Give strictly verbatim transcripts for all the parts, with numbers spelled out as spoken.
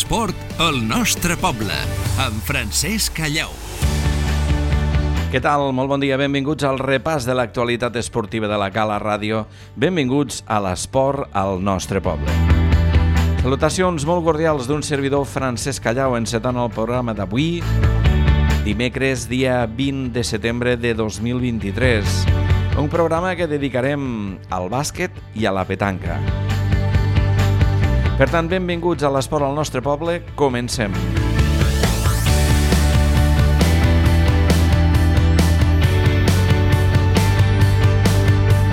L'esport al nostre poble, amb Francesc Callau. Què tal? Molt bon dia, benvinguts al repàs de l'actualitat esportiva de la Cala Ràdio. Benvinguts a l'esport al nostre poble. Salutacions molt cordials d'un servidor Francesc Callau encetant el programa d'avui, dimecres, dia vint de setembre de dos mil vint-i-tres. Un programa que dedicarem al bàsquet i a la petanca. Per tant, benvinguts a l'esport al nostre poble. Comencem.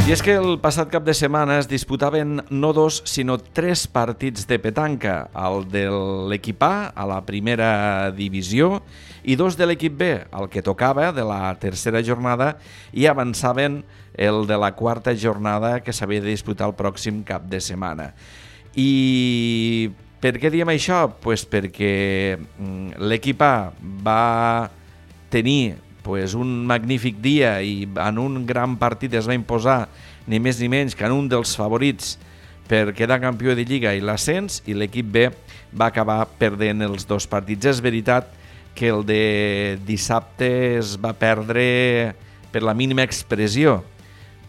I és que el passat cap de setmana es disputaven no dos, sinó tres partits de petanca, el de l'equip A, a la primera divisió, i dos de l'equip B, el que tocava de la tercera jornada, i avançaven el de la quarta jornada que s'havia de disputar el pròxim cap de setmana. I per què diem això? Pues perquè l'equip A va tenir pues, un magnífic dia i en un gran partit es va imposar ni més ni menys que en un dels favorits per quedar campió de Lliga i l'ascens, i l'equip B va acabar perdent els dos partits. És veritat que el de dissabte es va perdre per la mínima expressió,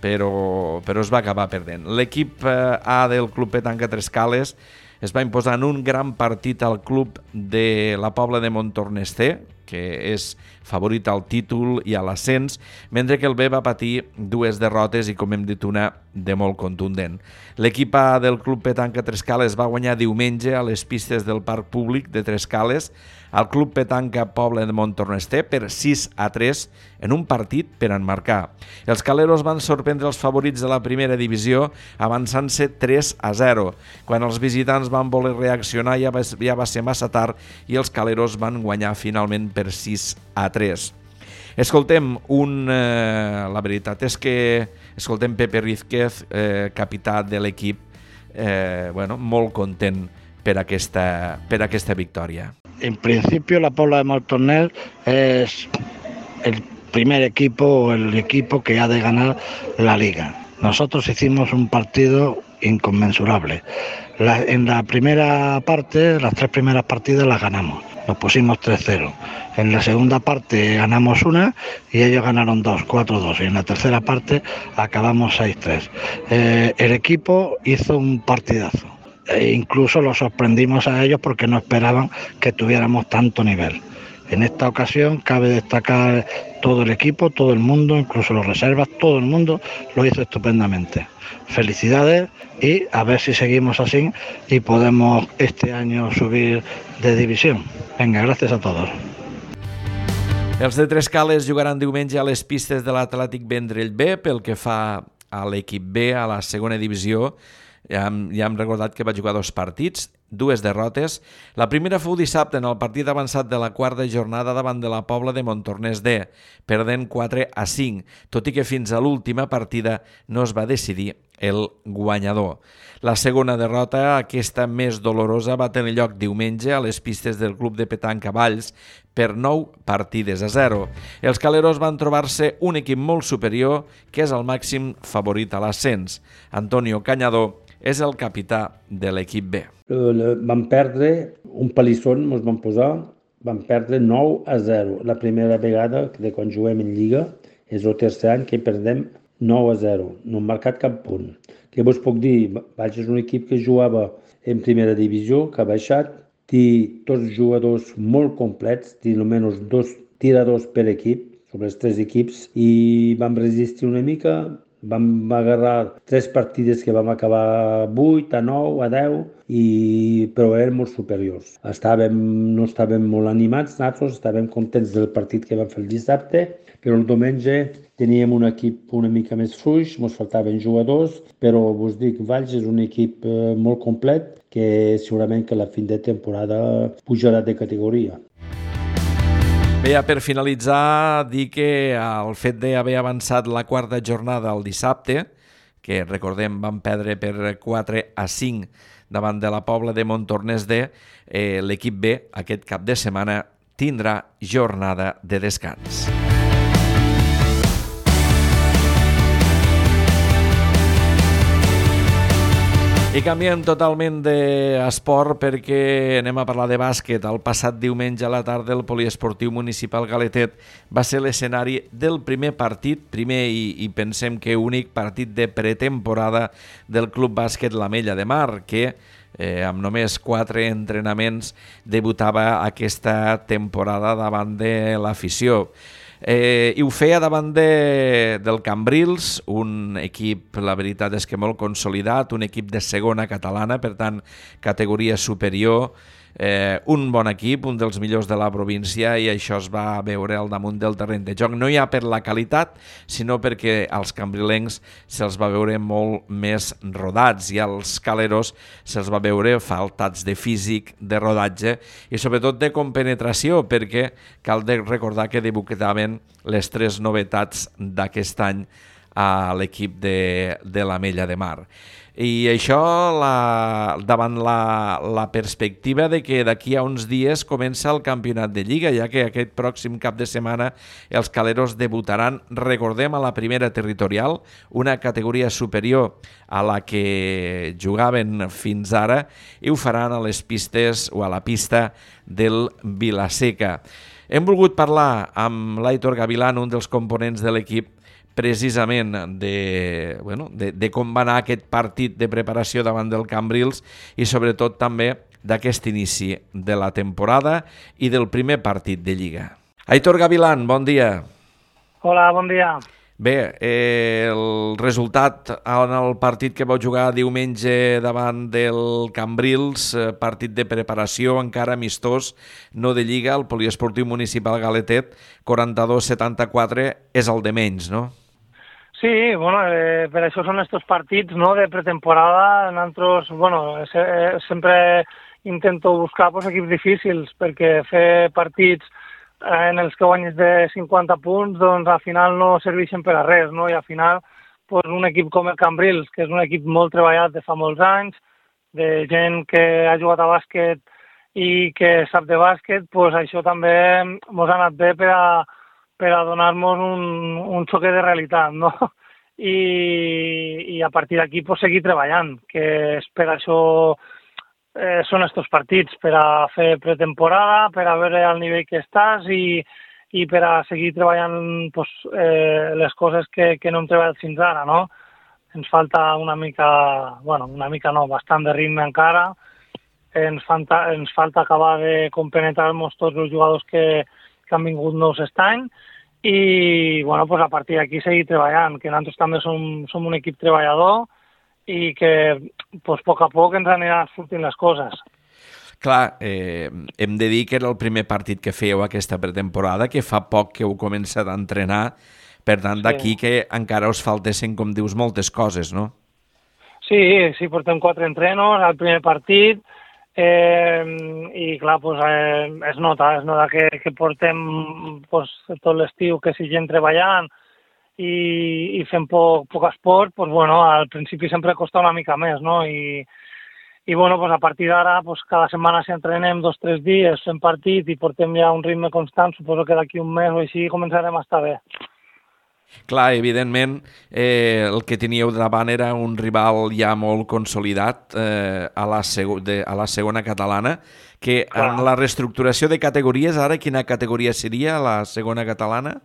però, però es va acabar perdent. L'equip A del Club Petanca Trescales es va imposar en un gran partit al club de la Pobla de Montornès, que és favorit al títol i a l'ascens, mentre que el B va patir dues derrotes i, com hem dit, una de molt contundent. L'equip A del Club Petanca Trescales va guanyar diumenge a les pistes del Parc Públic de Trescales al Club Petanca Pobla de Montornès per sis a tres en un partit per enmarcar. Els caleros van sorprendre els favorits de la primera divisió avançant-se tres a zero. Quan els visitants van voler reaccionar ja va, ja va ser massa tard i els caleros van guanyar finalment per sis a tres. Escoltem, un, eh, la veritat és que escoltem Pepe Rízquez, eh, capità de l'equip, eh, bueno, molt content per aquesta, per aquesta victòria. En principio la Pobla de Montornès es el primer equipo o el equipo que ha de ganar la liga. Nosotros hicimos un partido inconmensurable. La, en la primera parte, las tres primeras partidas las ganamos. Nos pusimos tres cero. En la segunda parte ganamos una y ellos ganaron dos, cuatro dos. Y en la tercera parte acabamos seis tres. Eh, el equipo hizo un partidazo. E incluso los sorprendimos a ellos porque no esperaban que tuviéramos tanto nivel. En esta ocasión cabe destacar todo el equipo, todo el mundo, incluso los reservas, todo el mundo lo hizo estupendamente. Felicidades y a ver si seguimos así y podemos este año subir de división. Venga, gracias a todos. Els de Trescales jugaran diumenge a les pistes de l'Atlètic Vendrell B pel que fa a l'equip B, a la segona divisió. Ja hem, ja hem recordat que va jugar dos partits, dues derrotes. La primera fou dissabte en el partit avançat de la quarta jornada davant de la Pobla de Montornès D, perdent quatre a cinc, tot i que fins a l'última partida no es va decidir el guanyador. La segona derrota, aquesta més dolorosa, va tenir lloc diumenge a les pistes del Club de Petanca Valls per nou partides a zero. Els caleros van trobar-se un equip molt superior que és el màxim favorit a l'ascens. Antonio Cañador és el capità de l'equip B. Vam perdre un palisson, ens vam posar, vam perdre nou a zero. La primera vegada de quan juguem en Lliga és el tercer any que perdem nou a zero. No hem marcat cap punt. Què vos puc dir? Valls és un equip que jugava en primera divisió, que ha baixat, té tots jugadors molt complets, té almenys dos tiradors per equip, sobre els tres equips, i vam resistir una mica. Vam agarrar tres partides que vam acabar vuit a nou a deu, i, però eren molt superiors. Estàvem, no estàvem molt animats, nosaltres estàvem contents del partit que vam fer el dissabte, però el diumenge teníem un equip una mica més fluix, ens faltaven jugadors, però vos dic, Valls és un equip eh, molt complet que segurament que a la fin de temporada pujarà de categoria. Bé, per finalitzar, dir que el fet d'haver avançat la quarta jornada el dissabte, que recordem van perdre per quatre a cinc davant de la Pobla de Montornès D, eh, l'equip B aquest cap de setmana tindrà jornada de descans. I canviem totalment d'esport perquè anem a parlar de bàsquet. El passat diumenge a la tarda el Poliesportiu Municipal Galetet va ser l'escenari del primer partit, primer i, i pensem que únic partit de pretemporada del Club Bàsquet l'Ametlla de Mar, que eh, amb només quatre entrenaments debutava aquesta temporada davant de l'afició. Eh, I ho feia davant de, del Cambrils, un equip, la veritat és que molt consolidat, un equip de segona catalana, per tant, categoria superior, eh, un bon equip, un dels millors de la província, i això es va veure al damunt del terreny de joc. No ja per la qualitat, sinó perquè als cambrilencs se'ls va veure molt més rodats i als caleros se'ls va veure faltats de físic, de rodatge i sobretot de compenetració, perquè cal de recordar que debutaven les tres novetats d'aquest any a l'equip de, de l'Ametlla de Mar. I això la, davant la, la perspectiva de que d'aquí a uns dies comença el campionat de Lliga, ja que aquest pròxim cap de setmana els caleros debutaran, recordem, a la primera territorial, una categoria superior a la que jugaven fins ara, i ho faran a les pistes o a la pista del Vilaseca. Hem volgut parlar amb l'Aitor Gavilán, un dels components de l'equip, precisament de, bueno, de, de com va anar aquest partit de preparació davant del Cambrils i sobretot també d'aquest inici de la temporada i del primer partit de Lliga. Aitor Gavilán, bon dia. Hola, bon dia. Bé, eh, el resultat en el partit que vau jugar diumenge davant del Cambrils, eh, partit de preparació, encara amistós, no de Lliga, el Poliesportiu Municipal Galetet, quaranta-dos a setanta-quatre, és el de menys, no? Sí, bueno, eh, per això són estos partits, no?, de pretemporada. Nosaltres, bueno, se, eh, sempre intento buscar pues, equips difícils, perquè fer partits eh, en els que guanyes de cinquanta punts, doncs al final no serveixen per a res, no? I al final, pues, un equip com el Cambrils, que és un equip molt treballat de fa molts anys, de gent que ha jugat a bàsquet i que sap de bàsquet, pues, això també ens ha anat bé per a per a donar-nos un, un xoque de realitat, no? I, i a partir d'aquí pues, seguir treballant, que és per això eh, són estos partits, per a fer pretemporada, per a veure el nivell que estàs i, i per a seguir treballant pues, eh, les coses que, que no hem treballat fins ara, no? Ens falta una mica, bueno, una mica no, bastant de ritme encara, ens falta, ens falta acabar de compenetrar-nos tots els jugadors que que han vingut nous aquest any i bueno, pues a partir d'aquí seguir treballant, que nosaltres també som, som un equip treballador i que pues, a poc a poc ens aniran sortint les coses. Clar, eh, hem de dir que era el primer partit que fèieu aquesta pretemporada, que fa poc que heu començat a entrenar, per tant d'aquí sí. Que encara us faltessin, com dius, moltes coses, no? Sí, sí, portem quatre entrenos al primer partit, Eh, i clar, pues, eh, es nota, es nota que, que portem pues, tot l'estiu que si gent treballant i, i fem poc, poc esport, pues, bueno, al principi sempre costa una mica més, no? I, i bueno, pues, a partir d'ara pues, cada setmana si entrenem dos o tres dies, fem partit i portem ja un ritme constant, suposo que d'aquí un mes o així començarem a estar bé. Clar, evidentment, eh, el que teníeu davant era un rival ja molt consolidat eh, a, la seg- de, a la segona catalana, que Clar. En la reestructuració de categories, ara quina categoria seria la segona catalana?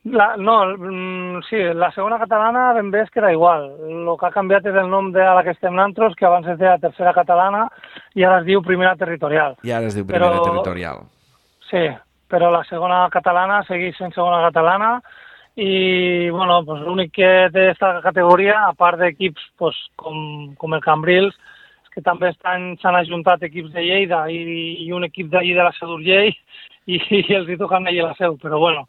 La, no, mm, sí, la segona catalana ben bé és que era igual. El que ha canviat és el nom de la que estem nosaltres, que abans es deia tercera catalana i ara es diu primera territorial. I ara es diu primera però, territorial. Sí, però la segona catalana segueix sent segona catalana i bueno, pues, l'únic que té aquesta categoria, a part d'equips pues, com, com el Cambrils, és que també s'han ajuntat equips de Lleida i, i un equip d'allí de la Seu d'Urgell i, i els hi toquen allí a la Seu, però bueno,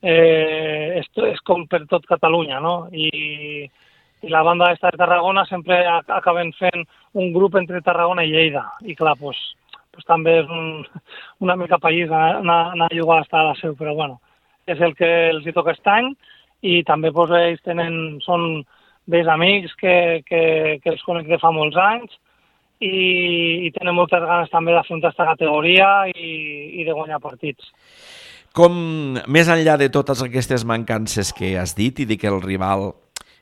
eh, és, és com per tot Catalunya, no? I, i la banda d'esta de Tarragona sempre acaben fent un grup entre Tarragona i Lleida i clar, pues, pues, també és un, una mica país anar, anar a jugar a la Seu, però bueno, és el que els hi toca aquest any i també pues, ells tenen, són vells amics que, que, que els conec de fa molts anys i, i tenen moltes ganes també d'afrontar aquesta categoria i, i de guanyar partits. Com, més enllà de totes aquestes mancances que has dit i de que el rival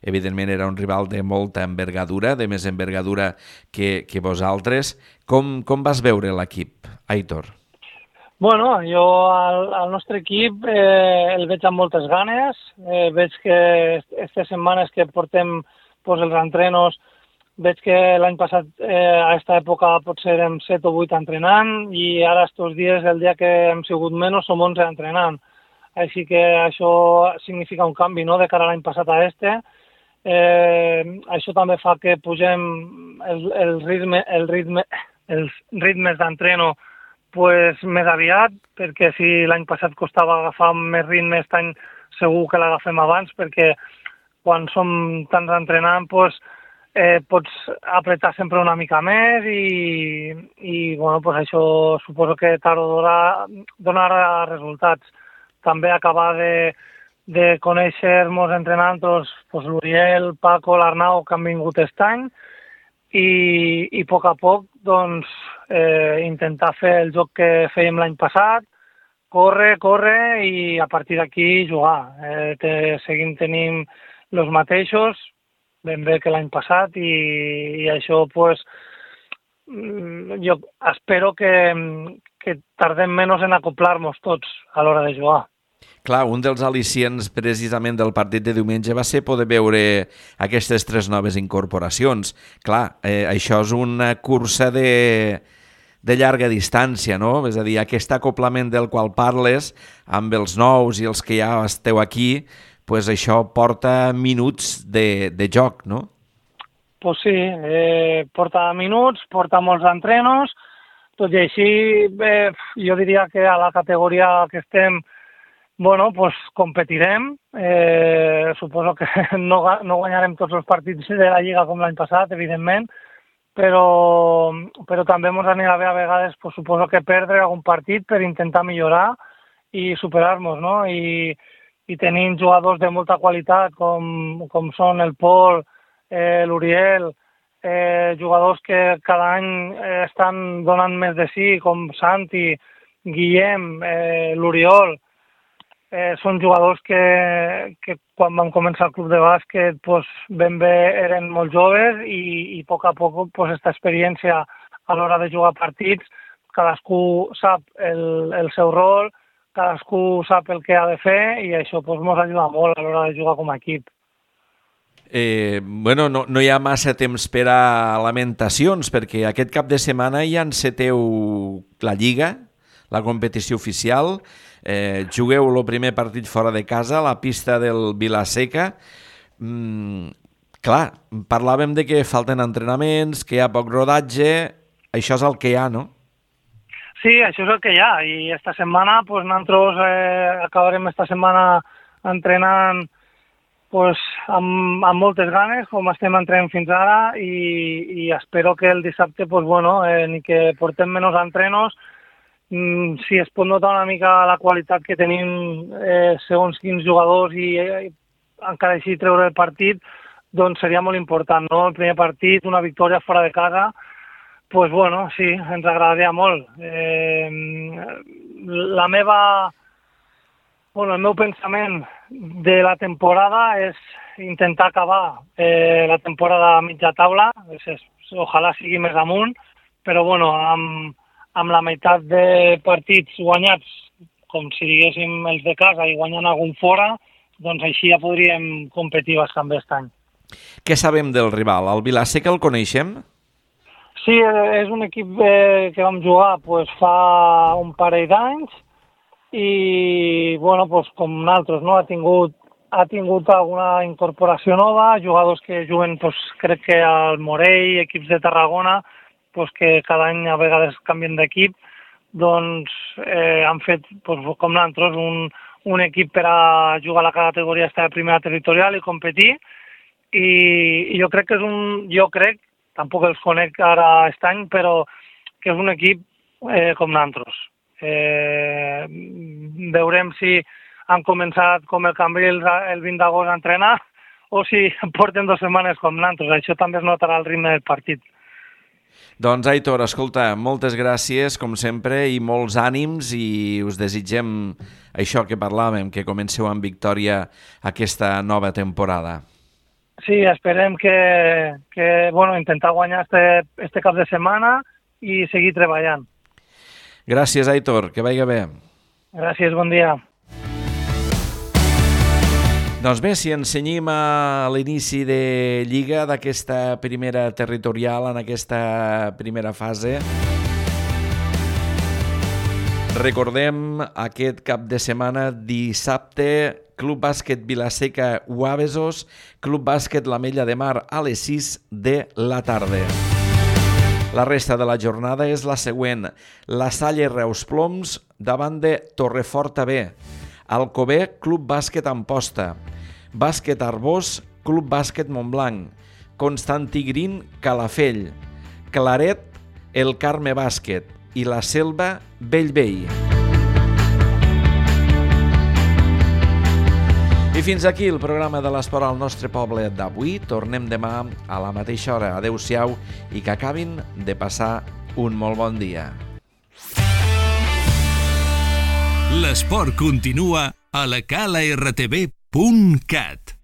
evidentment era un rival de molta envergadura, de més envergadura que, que vosaltres. Com, com vas veure l'equip, Aitor? Bueno, jo al, al nostre equip eh, el veig amb moltes ganes, eh, veig que aquestes setmanes que portem pues, els entrenos, veig que l'any passat eh, a aquesta època potser érem set o vuit entrenant i ara estos dies, el dia que hem sigut menys, som onze entrenant. Així que això significa un canvi, no?, de cara a l'any passat a este. Eh, això també fa que pugem el, el ritme, el ritme, els ritmes d'entreno pues, més aviat, perquè si l'any passat costava agafar més ritme, aquest any segur que l'agafem abans, perquè quan som tants entrenant, pues, eh, pots apretar sempre una mica més i, i bueno, pues, això suposo que tard o d'hora donarà resultats. També acabar de, de conèixer-nos entre nosaltres pues, l'Uriel, Paco, l'Arnau, que han vingut aquest any, i, i a poc a poc doncs, eh, intentar fer el joc que fèiem l'any passat, córrer, córrer i a partir d'aquí jugar. Eh, te, seguim tenint els mateixos, ben bé que l'any passat, i, i això pues, jo espero que, que tardem menys en acoplar-nos tots a l'hora de jugar. Clar, un dels al·licients precisament del partit de diumenge va ser poder veure aquestes tres noves incorporacions. Clar, eh, això és una cursa de, de llarga distància, no? És a dir, aquest acoplament del qual parles amb els nous i els que ja esteu aquí, pues això porta minuts de, de joc, no? Pues sí, eh, porta minuts, porta molts entrenos, tot i així eh, jo diria que a la categoria que estem bueno, pues competirem, eh, suposo que no, no guanyarem tots els partits de la Lliga com l'any passat, evidentment, però, però també ens anirà bé a vegades, pues, suposo que perdre algun partit per intentar millorar i superar-nos, no? I, i tenint jugadors de molta qualitat com, com són el Pol, eh, l'Uriel, eh, jugadors que cada any eh, estan donant més de si, com Santi, Guillem, eh, l'Oriol. Eh, són jugadors que, que quan vam començar el club de bàsquet pues, ben bé eren molt joves i, i a poc a poc pues, aquesta experiència a l'hora de jugar partits, cadascú sap el, el seu rol, cadascú sap el que ha de fer i això pues, ens ajuda molt a l'hora de jugar com a equip. Eh, bueno, no, no hi ha massa temps per a lamentacions perquè aquest cap de setmana ja enceteu la Lliga, la competició oficial. Eh, jugueu el primer partit fora de casa, a la pista del Vila-seca. Mm, clar, parlàvem de que falten entrenaments, que hi ha poc rodatge, això és el que hi ha, no? Sí, això és el que hi ha, i esta setmana pues, nosaltres eh, acabarem esta setmana entrenant pues, amb, amb moltes ganes, com estem entrenant fins ara, i, i espero que el dissabte pues, bueno, eh, ni que portem menys entrenos, si es pot notar una mica la qualitat que tenim eh, segons quins jugadors i eh, encara així treure el partit, doncs seria molt important, no? El primer partit, una victòria fora de casa, pues bueno, sí, ens agradaria molt. Eh, la meva, bueno, el meu pensament de la temporada és intentar acabar eh, la temporada a mitja taula, és, és, ojalà sigui més amunt, però bueno, amb amb la meitat de partits guanyats, com si diguéssim els de casa i guanyant algun fora, doncs així ja podríem competir bastant bé aquest any. Què sabem del rival? El Vila-seca el coneixem? Sí, és un equip eh, que vam jugar pues, fa un parell d'anys i, bueno, pues, com nosaltres, no? ha, tingut, ha tingut alguna incorporació nova, jugadors que juguen, pues, crec que al Morell, equips de Tarragona, pues que cada any a vegades canvien d'equip, doncs eh, han fet, pues, com nosaltres, un, un equip per a jugar a la categoria de primera territorial i competir, i, i jo crec que és un, jo crec, tampoc els conec ara aquest any, però que és un equip eh, com nosaltres. Eh, veurem si han començat com el Cambrils el vint d'agost a entrenar o si porten dues setmanes com nosaltres. Això també es notarà el ritme del partit. Doncs, Aitor, escolta, moltes gràcies, com sempre, i molts ànims, i us desitgem això que parlàvem, que comenceu amb victòria aquesta nova temporada. Sí, esperem que, que bueno, intentar guanyar este, este cap de setmana i seguir treballant. Gràcies, Aitor, que vagi bé. Gràcies, bon dia. Doncs bé, si ens cenyim a l'inici de Lliga d'aquesta primera territorial, en aquesta primera fase, recordem aquest cap de setmana, dissabte, Club Bàsquet Vila-seca Guabesos, Club Bàsquet l'Ametlla de Mar a les sis de la tarda. La resta de la jornada és la següent. La Salle Reus Ploms davant de Torreforta B. Alcover, Club Bàsquet Amposta. Bàsquet Arbós, Club Bàsquet Montblanc. Constantí Green, Calafell. Claret, el Carme Bàsquet. I la Selva, Bellvei. I fins aquí el programa de l'Esport al nostre poble d'avui. Tornem demà a la mateixa hora. Adéu-siau i que acabin de passar un molt bon dia. L'esport continua a la cala r t v punt cat.